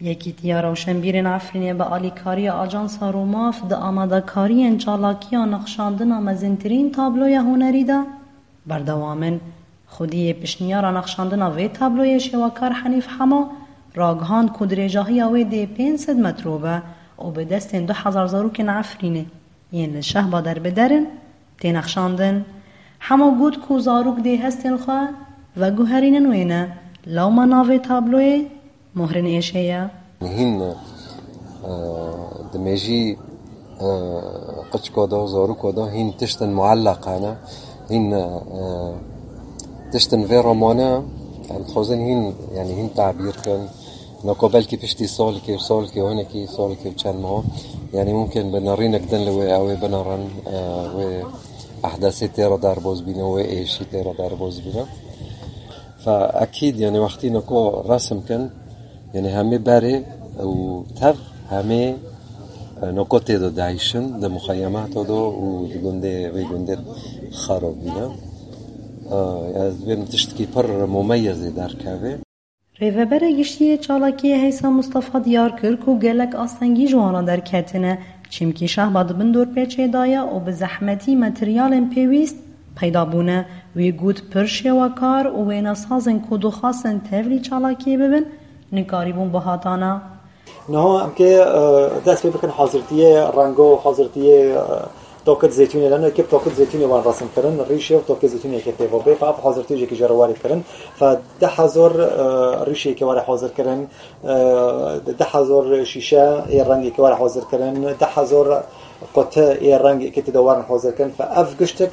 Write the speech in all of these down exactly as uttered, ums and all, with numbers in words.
Yekîtiya Rewşenbîrên Efrînê bi alîkariya Ajansa Rûmaf di amadekariyên çalakiya nexşandina mezintirîn tabloya hunerî de berdewam in. Xwediyê piştniyara nexşandina vê tabloyê şêwekar Henîf Hemo ragihand ku dirêjahiya wê dê pênc sed metro be û bi destên du hezar zarokên Efrînê yên li Şehba derbider in, tê nexşandin. Hemo got ku zarok dê hestên xwe veguherînin wêne, lewma navê tabloyê Mohrên Êşê ye. Hîn, e, di mêjî, e, qiçka de, zaroka de hîn tiştin muelleq hene. Hîn, e, tiştin vê romane, em dixwazin hîn, yanî hîn tabîr kin. Nako belkî piştî salkê û salkê û hinekî salkê û çend meha, yanî mumkin bi nerînek din li wê ew ê binerin, e, wê ehdesê tê re derbaz bîne, wê êşî tê re derbaz bîne. Fe ekîd, yanî wextî nako resim kin, yanî hemê berê û tev hemê, e, nako tê de dayîşin, di muxeyemata de û di gundê, vê gundê xerab bîne. E, ez dibêm tiştkî pir mumeyezê derkeve. Rêveberê Giştî yê Çalakiyê Heysa Mustafa diyar kir ku gelek astengî ji wan re derketine, çimkî Şehba di bin dorpêçê de ye û bi zehmetî materyalên pêwîst peyda bûne. Wî got pir şêwekar û wênesazên ku dixwastin tevlî çalakiyê bibin, nikarîbûn bihatana. Niha em kê, e, dest pê bikin hazirtiyê rengo, hazirtiyê, e, tokit zeytûnê leno, yekê bi tokit zeytûnê wan resim kirin, rîşê û tokê zeytûnê yekê tê ve bê, fa ev hazirtiyê jekî jê re warê kirin. Fa deh hezar, e, rîşê yekê warê hazir kirin, e, deh hezar şîşe ê rengê yekê warê hazir kirin, deh hezar quti ê rengê yekê tê de warin hazir kirin. Fa ev giştik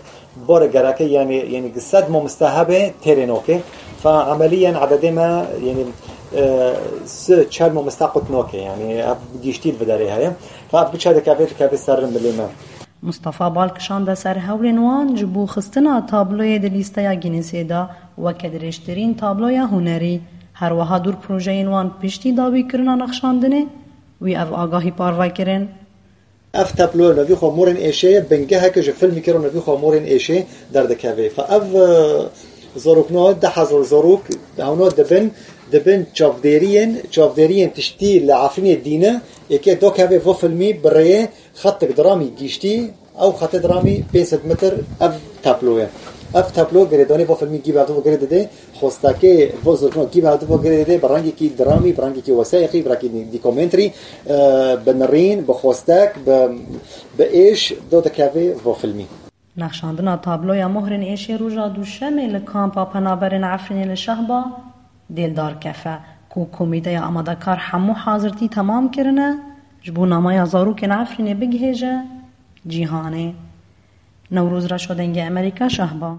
Bore gereke, yani, yani sed mamoste hebe têrê noke. Fa emeliyen ededê me, yani, e, si çel mamoste qut noke, yani, ev giştî li derê heye. Fa ev biçe dikeve, dikeve ser milê me. Mustafa bal kişande ser hewlên wan ji bo xistina tabloyê di lîsteya Guinnessê de weke dirêjtirîn tabloya hunerî. Her wiha dûr projeyên wan piştî dawîkirina nexşandinê, wî ev agahî parve kirin. Ev tablo li vî xwe Morên Êşê ye, bingeheke ji filmekî re li vî xwe Morên Êşê derdikeve. Fa ev, e, zarokna deh hezar zarok hewna dibin, dibin çavdêriyên, çavdêriyên tiştî li Efrînê dîne, yekê dokeve vo filmî bi rêyê xetik dramî giştî, ew xetê dramî pênc sed metr ev tablo ye. Ev tablo girêdanê vo filmî gî bi ev girê dide, xwestekê vo zirkno gî bi ev girê dide, bi rengekî dramî, bi rengekî wesayîqî, bi rengekî dîkomenterî, e, bi nirîn, bi xwestek, bi, bi êş, do dikeve vo filmî. Nexşandina tabloya Mohrên Êşê roja Duşemê li kampa penaberên Efrînê li Şehba dê li dar kefe, ku komîteya amadekar hemû hazirtî temam kirine, ji bo namaya zarokên Efrînê bigihêje cîhanê. Newroz Reşo, Dengê Emerîka, Şehba.